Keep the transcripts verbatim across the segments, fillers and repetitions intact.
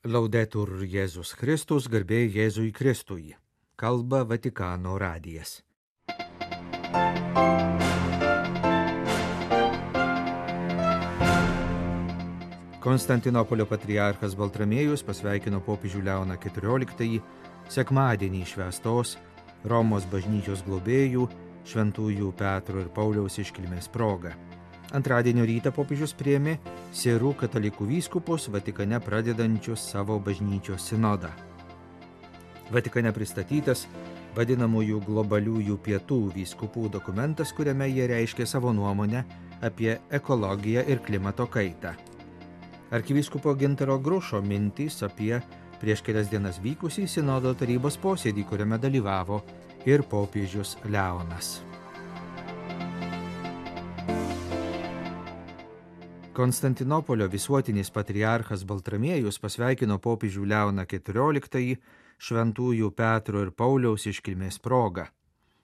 Laudetur Jėzus Kristus, garbė Jėzui Kristui. Kalba Vatikano radijas. Konstantinopolio patriarchas Baltramiejus pasveikino popiežių Leoną keturioliktąjį sekmadienį švęstos Romos bažnyčios globėjų šventųjų Petro ir Pauliaus iškilmės proga. Antradienio rytą popiežius priėmė sirų katalikų vyskupus Vatikane pradedančius savo bažnyčios sinodą. Vatikane pristatytas vadinamųjų globaliųjų pietų vyskupų dokumentas, kuriame jie reiškė savo nuomonę apie ekologiją ir klimato kaitą. Arkivyskupo Gintaro Grušo mintys apie prieš kelias dienas vykusį sinodo tarybos posėdį, kuriame dalyvavo ir popiežius Leonas. Konstantinopolio visuotinis patriarchas Baltramiejus pasveikino popiežių Leoną keturioliktąjį šventųjų Petro ir Pauliaus iškilmės proga.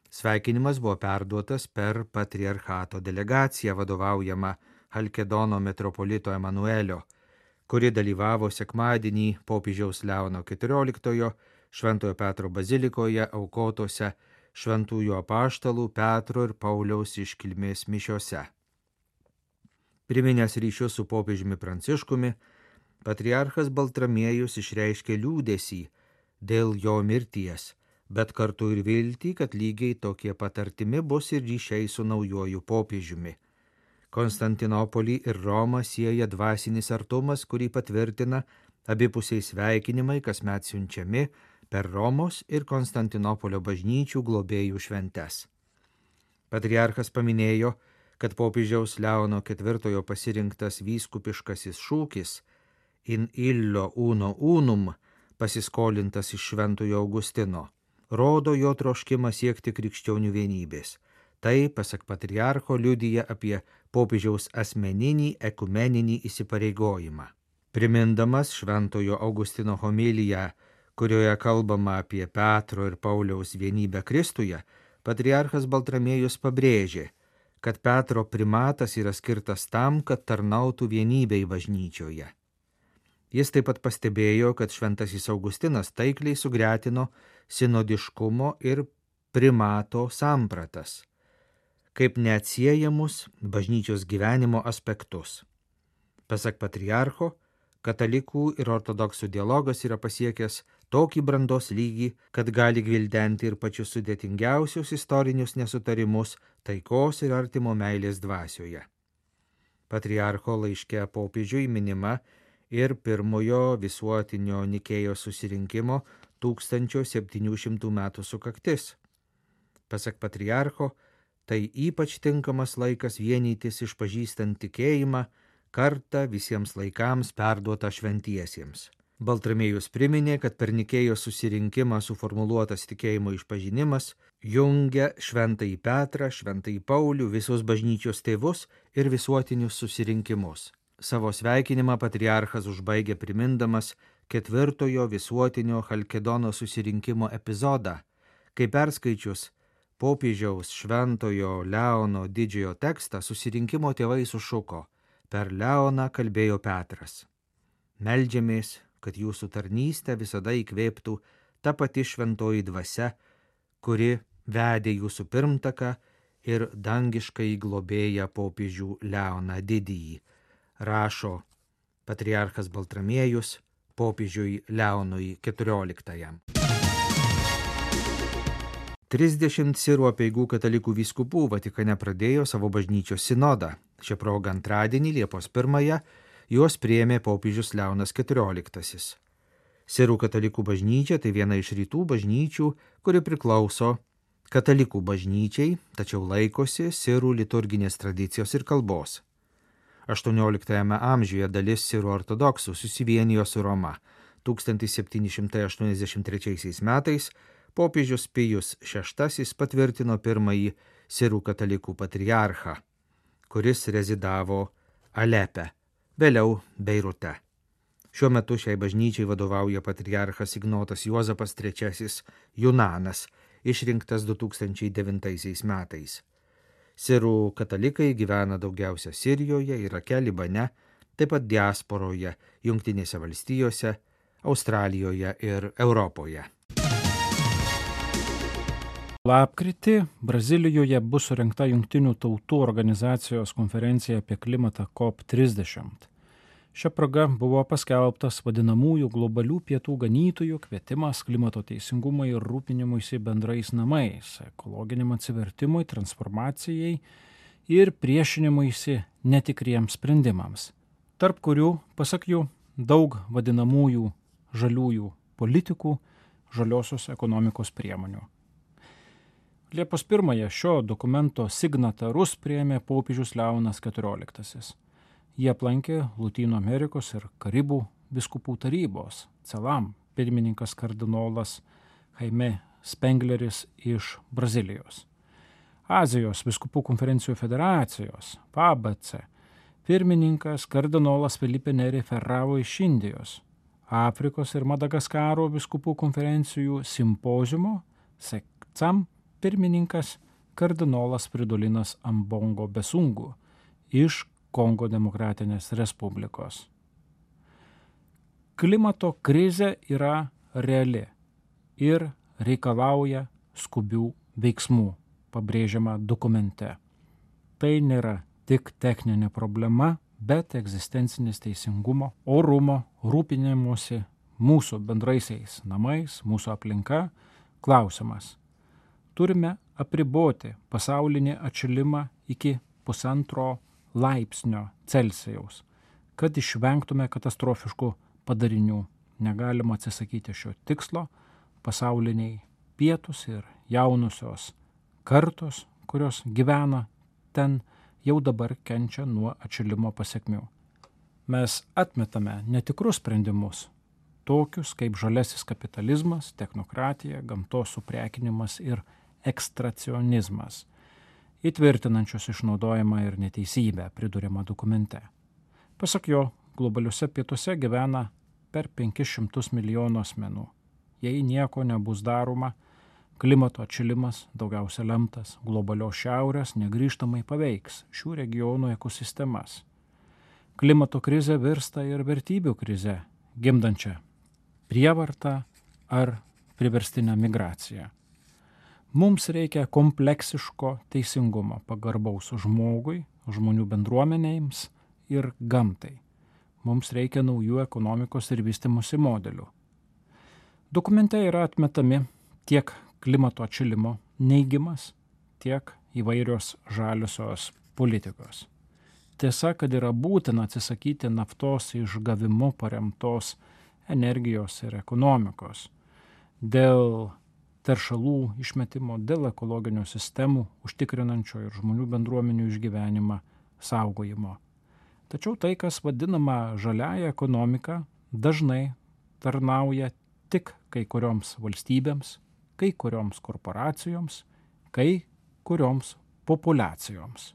Sveikinimas buvo perduotas per patriarchato delegaciją vadovaujamą Halkedono metropolito Emanuelio, kuri dalyvavo sekmadienį popiežiaus Leono keturioliktojo Šventojo Petro bazilikoje aukotose šventųjų apaštalų Petro ir Pauliaus iškilmės mišiose. Priminęs ryšius su popiežiumi Pranciškumi, patriarchas Baltramiejus išreiškė liūdesį dėl jo mirties, bet kartu ir viltį, kad lygiai tokie pat artimi bus ir ryšiai su naujuoju popiežiumi. Konstantinopolį ir Romą sieja dvasinis artumas, kurį patvirtina abipusiai sveikinimai kasmet siunčiami per Romos ir Konstantinopolio bažnyčių globėjų šventes. Patriarchas paminėjo, kad popiežiaus Leono ketvirtojo pasirinktas vyskupiškasis šūkis in illo uno unum, pasiskolintas iš Šventojo Augustino, rodo jo troškimą siekti krikščionių vienybės. Tai, pasak patriarcho, liudija apie popiežiaus asmeninį ekumeninį įsipareigojimą. Primindamas Šventojo Augustino homiliją, kurioje kalbama apie Petro ir Pauliaus vienybę Kristuje, patriarchas Baltramiejus pabrėžė, kad Petro primatas yra skirtas tam, kad tarnautų vienybei bažnyčioje. Jis taip pat pastebėjo, kad šventasis Augustinas taikliai sugretino sinodiškumo ir primato sampratas, kaip neatsiejamus bažnyčios gyvenimo aspektus. Pasak patriarcho, katalikų ir ortodoksų dialogas yra pasiekęs tokį brandos lygį, kad gali gvildenti ir pačius sudėtingiausius istorinius nesutarimus taikos ir artimo meilės dvasioje. Patriarcho laiške popiežiui minima ir pirmojo visuotinio Nikėjos susirinkimo tūkstančio septynių šimtų metų sukaktis. Pasak patriarcho, tai ypač tinkamas laikas vienytis išpažįstant tikėjimą, kartą visiems laikams perduota šventiesiems. Baltramiejus priminė, kad per Nikėjos susirinkimą suformuluotas tikėjimo išpažinimas jungia Šventąjį Petrą, Šventąjį Paulių, visus bažnyčios tėvus ir visuotinius susirinkimus. Savo sveikinimą patriarchas užbaigė primindamas ketvirtojo visuotinio Halkedono susirinkimo epizodą, kai perskaičius popiežiaus Šventojo Leono didžiojo tekstą susirinkimo tėvai sušuko: per Leoną kalbėjo Petras. Meldžiamės, kad jūsų tarnystę visada įkvėptų ta pati šventoji dvasia, kuri vedė jūsų pirmtaką ir dangiškai globėją popiežių Leoną didįjį, rašo patriarchas Baltramiejus popiežiui Leonui keturioliktajam. Trisdešimt sirų apeigų katalikų vyskupų Vatikane pradėjo savo bažnyčios sinodą. Šią progą antradienį Liepos pirmąją juos priėmė popiežius Leonas keturioliktasis. Sirų katalikų bažnyčia tai viena iš rytų bažnyčių, kuri priklauso katalikų bažnyčiai, tačiau laikosi sirų liturginės tradicijos ir kalbos. aštuonioliktajame amžiuje dalis sirų ortodoksų susivienijo su Roma. tūkstantis septyni šimtai aštuoniasdešimt trečiaisiais metais popiežius Pijus šeštasis patvirtino pirmąjį sirų katalikų patriarchą, kuris rezidavo Alepe, vėliau Beirute. Šiuo metu šiai bažnyčiai vadovauja patriarchas Ignotas Juozapas trečiasis Junanas, išrinktas du tūkstančiai devintaisiais metais. Sirų katalikai gyvena daugiausia Sirijoje, Irake, Libane, taip pat diasporoje, Jungtinėse valstijose, Australijoje ir Europoje. Lapkritį Brazilijoje bus surengta Jungtinių tautų organizacijos konferencija apie klimatą C O P trisdešimt. Šia proga buvo paskelbtas vadinamųjų globalių pietų ganytojų kvietimas klimato teisingumui ir rūpinimuisi bendrais namais, ekologiniam atsivertimui, transformacijai ir priešinimuisi netikriems sprendimams, tarp kurių, pasak jų, daug vadinamųjų žaliųjų politikų, žaliosios ekonomikos priemonių. Liepos pirmąją šio dokumento signatarus priėmė popiežius Leonas keturioliktasis. Jie aplankė Lotynų Amerikos ir Karibų vyskupų tarybos, CELAM pirmininkas kardinolas Jaime Spengleris iš Brazilijos. Azijos vyskupų konferencijų federacijos, P A B C, pirmininkas kardinolas Felipe Neri Ferraro iš Indijos. Afrikos ir Madagaskaro vyskupų konferencijų simpoziumo, SECAM, pirmininkas kardinolas Fridolinas Ambongo Besungu iš Kongo Demokratinės Respublikos. Klimato krizė yra reali ir reikalauja skubių veiksmų, pabrėžiama dokumente. Tai nėra tik techninė problema, bet egzistencinis teisingumo, orumo, rūpinimuose mūsų bendraisiais namais, mūsų aplinka klausimas. Turime apriboti pasaulinį atšilimą iki pusantro laipsnio Celsijaus, kad išvengtume katastrofiškų padarinių. Negalima atsisakyti šio tikslo. Pasauliniai pietūs ir jaunusios kartos, kurios gyvena ten, jau dabar kenčia nuo atšilimo pasekmių. Mes atmetame netikrus sprendimus, tokius kaip žalesis kapitalizmas, technokratija, gamtos suprekinimas ir ekstracionizmas, įtvirtinančios išnaudojimą ir neteisybę, priduriama dokumente. Pasak jo, globaliuose pietuose gyvena per penkis šimtus milijonų asmenų. Jei nieko nebus daroma, klimato atšilimas, daugiausia lemtas globalios šiaurės, negrįžtamai paveiks šių regionų ekosistemas. Klimato krizė virsta ir vertybių krize, gimdančia prievartą ar priverstinę migraciją. Mums reikia kompleksiško teisingumo, pagarbaus žmogui, žmonių bendruomenėms ir gamtai. Mums reikia naujų ekonomikos ir vystymosi modelių. Dokumente yra atmetami tiek klimato atšilimo neigimas, tiek įvairios žaliosios politikos. Tiesa, kad yra būtina atsisakyti naftos išgavimu paremtos energijos ir ekonomikos dėl teršalų išmetimo, dėl ekologinių sistemų užtikrinančio ir žmonių bendruomenių išgyvenimą saugojimo. Tačiau tai, kas vadinama žaliąja ekonomika, dažnai tarnauja tik kai kurioms valstybėms, kai kurioms korporacijoms, kai kurioms populiacijoms.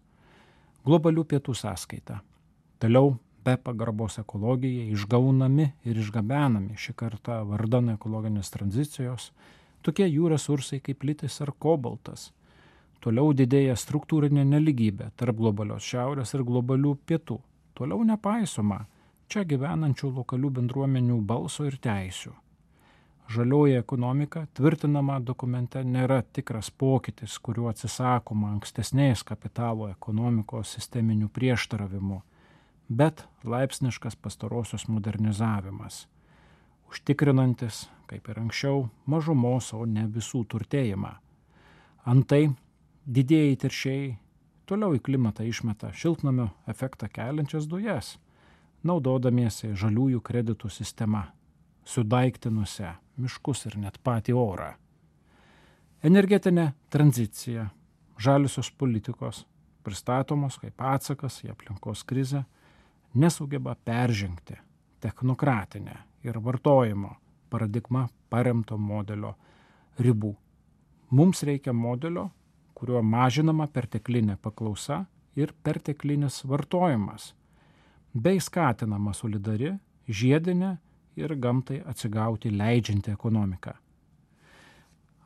Globalių pietų sąskaita. Toliau be pagarbos ekologijai išgaunami ir išgabenami šį kartą vardan ekologinės tranzicijos tokie jų resursai kaip litis ar kobaltas. Toliau didėja struktūrinė neligybė tarp globalios šiaurės ir globalių pietų. Toliau nepaisoma čia gyvenančių lokalių bendruomenių balso ir teisių. Žalioji ekonomika, tvirtinama dokumente, nėra tikras pokytis, kuriuo atsisakoma ankstesnės kapitalo ekonomikos sisteminių prieštaravimų, bet laipsniškas pastarosios modernizavimas, užtikrinantis, kaip ir anksčiau, mažumos, o ne visų turtėjimą. Antai didieji teršėjai toliau į klimatą išmeta šiltnamio efektą keliančias dujas, naudodamiesi žaliųjų kreditų sistema, sudaiktinusią miškus ir net patį orą. Energetinė tranzicija, žaliosios politikos, pristatomos kaip atsakas į aplinkos krizę, nesugeba peržengti technokratinę ir vartojimo paradigma paremto modelio ribų. Mums reikia modelio, kuriuo mažinama perteklinė paklausa ir perteklinis vartojimas, bei skatinama solidari, žiedinė ir gamtai atsigauti leidžianti ekonomika.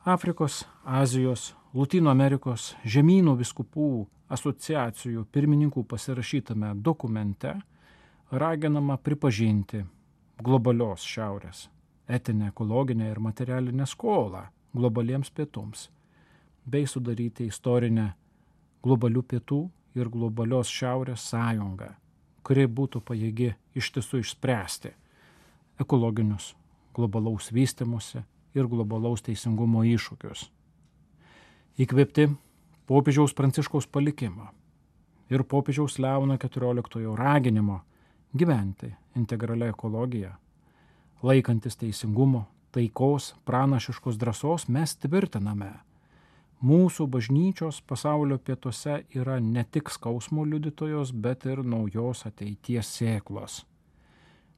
Afrikos, Azijos, Lotynų Amerikos žemynų vyskupų asociacijų pirmininkų pasirašytame dokumente raginama pripažinti globalios šiaurės etinę, ekologinę ir materialinę skolą globaliems pietums, bei sudaryti istorinę globalių pietų ir globalios šiaurės sąjungą, kuri būtų pajėgi iš tiesų išspręsti ekologinius globalaus vystymosi ir globalaus teisingumo iššūkius. Įkvėpti popiežiaus Pranciškaus palikimo ir popiežiaus Leono keturioliktojo raginimo gyventi integralia ekologija, laikantis teisingumo, taikos, pranašiškos drąsos, mes tvirtiname, mūsų bažnyčios pasaulio pietuose yra ne tik skausmo liudytojos, bet ir naujos ateities sėklos.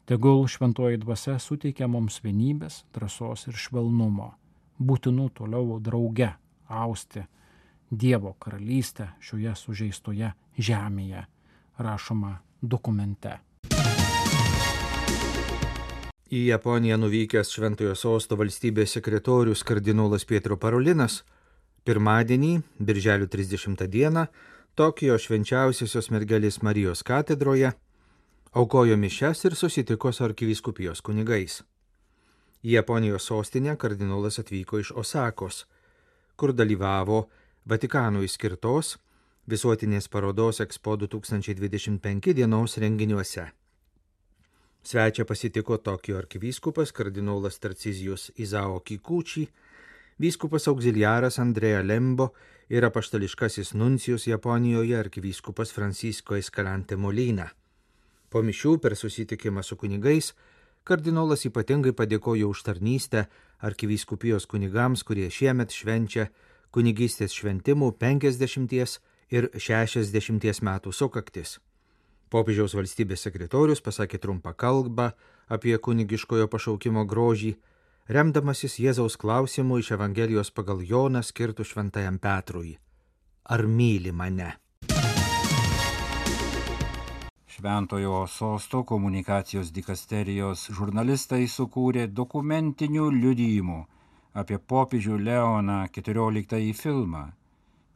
Tegul šventoji dvasia suteikia mums vienybės, drąsos ir švelnumo, būtinų toliau drauge austi Dievo karalystę šioje sužeistoje žemėje, rašoma dokumente. Į Japoniją nuvykęs Šventojo Sosto valstybės sekretorius kardinolas Pietro Parolinas pirmadienį, birželio trisdešimtą dieną, Tokijo švenčiausiosios mergelės Marijos katedroje aukojo mišias ir susitiko su arkivyskupijos kunigais. Į Japonijos sostinę kardinolas atvyko iš Osakos, kur dalyvavo Vatikanui skirtos visuotinės parodos Expo du tūkstančiai dvidešimt penki dienos renginiuose. Svečią pasitiko Tokijo arkivyskupas kardinolas Tarcizijus Izao Kikuchi, vyskupas auxiliaras Andrea Lembo ir apaštališkasis nuncijus Japonijoje arkivyskupas Francisco Escalante Molina. Po mišių per susitikimą su kunigais kardinolas ypatingai padėkojo už tarnystę arkivyskupijos kunigams, kurie šiemet švenčia kunigystės šventimų penkiasdešimties ir šešiasdešimties metų sukaktis. Popiežiaus valstybės sekretorius pasakė trumpą kalbą apie kunigiškojo pašaukimo grožį, remdamasis Jėzaus klausimu iš Evangelijos pagal Joną skirtų šventajam Petrui. Ar myli mane? Šventojo Sosto komunikacijos dikasterijos žurnalistai sukūrė dokumentinių liudijimų apie popiežių Leoną keturioliktąjį filmą.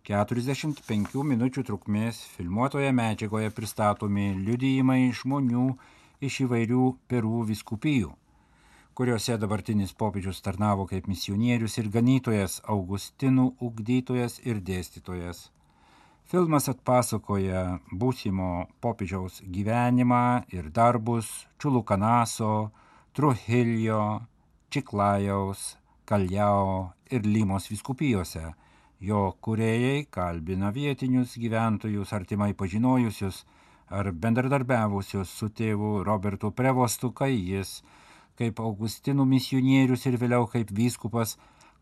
keturiasdešimt penkių minučių trukmės filmuotoje medžiagoje pristatomi liudijimai žmonių iš įvairių Peru vyskupijų, kuriuose dabartinis popiežius tarnavo kaip misionierius ir ganytojas, Augustinų ugdytojas ir dėstytojas. Filmas atpasakoja būsimo popiežiaus gyvenimą ir darbus Čulukanaso, Trujillo, Čiklajaus, Kaljao ir Limos vyskupijose. Jo kūrėjai kalbina vietinius gyventojus artimai pažinojusius ar bendradarbiavusius su tėvu Robertu Prevostu, kai jis, kaip Augustinų misionierius ir vėliau kaip vyskupas,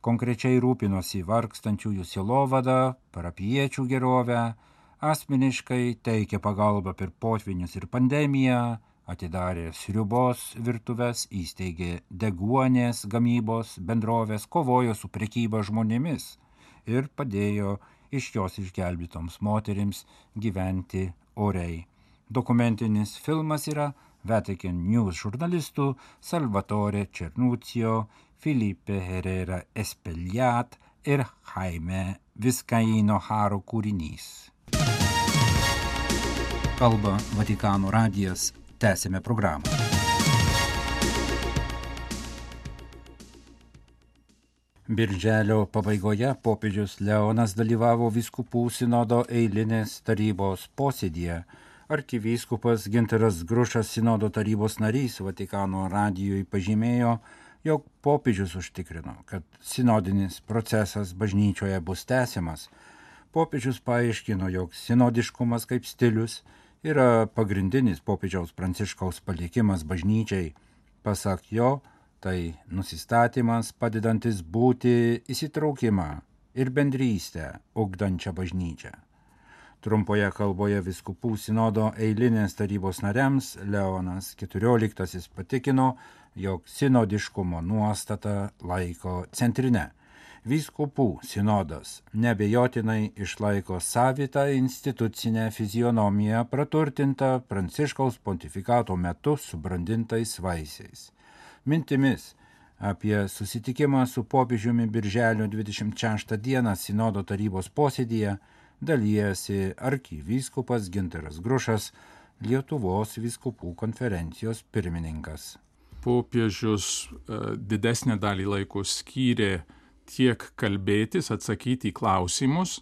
konkrečiai rūpinosi vargstančiųjų sielovadą, parapijiečių gerovę, asmeniškai teikė pagalbą per potvynius ir pandemiją, atidarė sriubos virtuves, įsteigė deguonės gamybos bendrovės, kovojo su prekyba žmonėmis ir padėjo iš jos išgelbėtoms moterims gyventi oriai. Dokumentinis filmas yra Vatican News žurnalistų Salvatore Cernuccio, Felipe Herrera Espellat ir Jaime Vizcaíno Haro kūrinys. Kalba Vatikano radijas. Tęsime programą. Birželio pabaigoje popiežius Leonas dalyvavo vyskupų sinodo eilinės tarybos posėdyje. Arkivyskupas Gintaras Grušas, sinodo tarybos narys, Vatikano radijui pažymėjo, jog popiežius užtikrino, kad sinodinis procesas bažnyčioje bus tęsiamas. Popiežius paaiškino, jog sinodiškumas kaip stilius yra pagrindinis popiežiaus Pranciškaus palikimas bažnyčiai. Pasak jo, tai nusistatymas padedantis būti įsitraukimą ir bendrystę ugdančią bažnyčią. Trumpoje kalboje vyskupų sinodo eilinės tarybos nariams Leonas keturioliktasis patikino, jog sinodiškumo nuostata laiko centrine. Vyskupų sinodas neabejotinai išlaiko savitą institucinę fizionomiją praturtintą Pranciškaus pontifikato metu subrandintais vaisiais. Mintimis apie susitikimą su popiežiumi birželio dvidešimt šeštą dieną sinodo tarybos posėdyje dalijasi arkivyskupas Gintaras Grušas, Lietuvos vyskupų konferencijos pirmininkas. popiežius didesnę dalį laiko skyrė tiek kalbėtis, atsakyti į klausimus,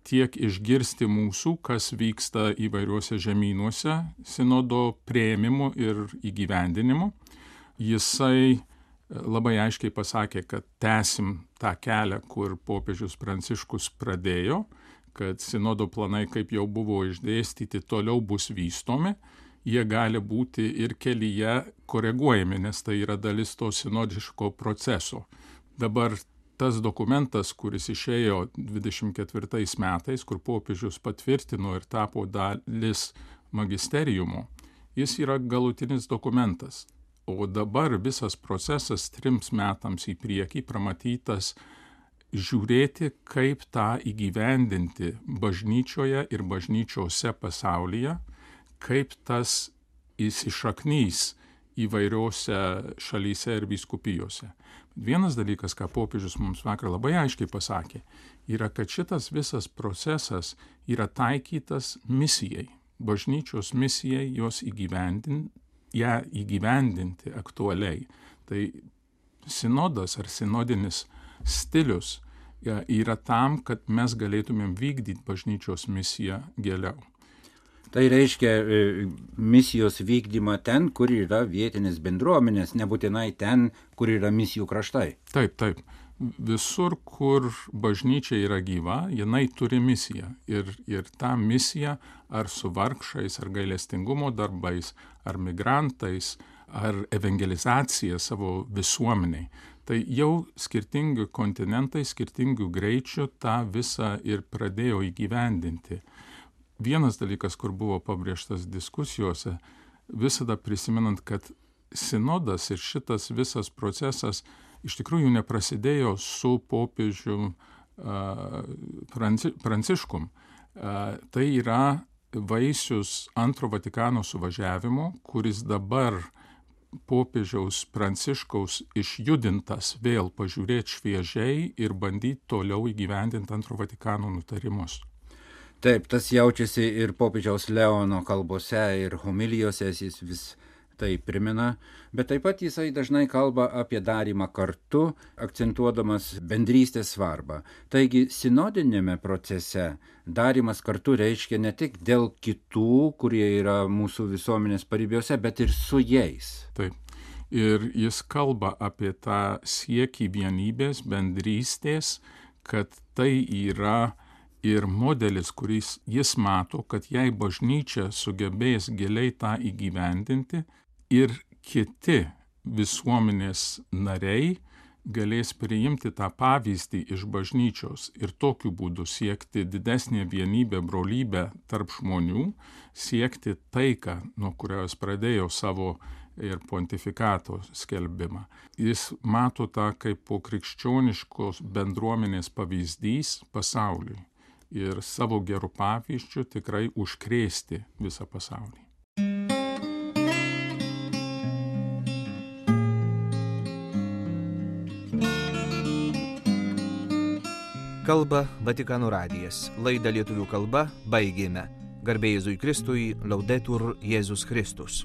tiek išgirsti mūsų, kas vyksta įvairiuose žemynuose, sinodo priėmimu ir įgyvendinimu. Jisai labai aiškiai pasakė, kad tęsim tą kelią, kur popiežius Pranciškus pradėjo, kad sinodo planai, kaip jau buvo išdėstyti, toliau bus vystomi. Jie gali būti ir kelyje koreguojami, nes tai yra dalis to sinodiško proceso. Dabar tas dokumentas, kuris išėjo dvidešimt ketvirtais metais, kur popiežius patvirtino ir tapo dalis magisteriumo, jis yra galutinis dokumentas. O dabar visas procesas trims metams į priekį pramatytas žiūrėti, kaip tą įgyvendinti bažnyčioje ir bažnyčiose pasaulyje, kaip tas įsišaknys įvairiose šalyse ir vyskupijose. Vienas dalykas, ką popiežius mums vakar labai aiškiai pasakė, yra, kad šitas visas procesas yra taikytas misijai, bažnyčios misijai, jos įgyvendinti, ją įgyvendinti aktualiai. Tai sinodas ar sinodinis stilius yra tam, kad mes galėtumėm vykdyti bažnyčios misiją giliau. Tai reiškia misijos vykdymą ten, kur yra vietinės bendruomenės, nebūtinai ten, kur yra misijų kraštai. Taip, taip. Visur, kur bažnyčia yra gyva, jinai turi misiją. Ir, ir tą misiją ar su vargšais, ar gailestingumo darbais, ar migrantais, ar evangelizacija savo visuomeniai. Tai jau skirtingi kontinentai, skirtingų greičių tą visą ir pradėjo įgyvendinti. Vienas dalykas, kur buvo pabrėžtas diskusijose, visada prisimenant, kad sinodas ir šitas visas procesas iš tikrųjų neprasidėjo su popiežium uh, Pranci, Pranciškum. Uh, tai yra vaisius antro Vatikano suvažiavimo, kuris dabar popiežiaus Pranciškaus išjudintas vėl pažiūrėti šviežiai ir bandyti toliau įgyvendinti antro Vatikano nutarimus. Taip, tas jaučiasi ir popiežiaus Leono kalbose ir homilijose, jis vis tai primena, bet taip pat jisai dažnai kalba apie darymą kartu, akcentuodamas bendrystės svarbą. Taigi, sinodinėme procese darymas kartu reiškia ne tik dėl kitų, kurie yra mūsų visuomenės paribiuose, bet ir su jais. Taip. Ir jis kalba apie tą siekį vienybės, bendrystės, kad tai yra ir modelis, kuris jis mato, kad jei bažnyčia sugebės giliai tą įgyvendinti ir kiti visuomenės nariai galės priimti tą pavyzdį iš bažnyčios ir tokiu būdu siekti didesnę vienybę, brolybę tarp žmonių, siekti taiką, nuo kurios pradėjo savo ir pontifikato skelbimą. Jis mato tą kaip po krikščioniškos bendruomenės pavyzdys pasauliui. Ir savo gerų pavyzdžių tikrai užkrėsti visą pasaulį. Kalba Vatikano radijas. Laidą lietuvių kalba baigėme. Garbė Jėzui Kristui, Laudetur Jėzus Kristus.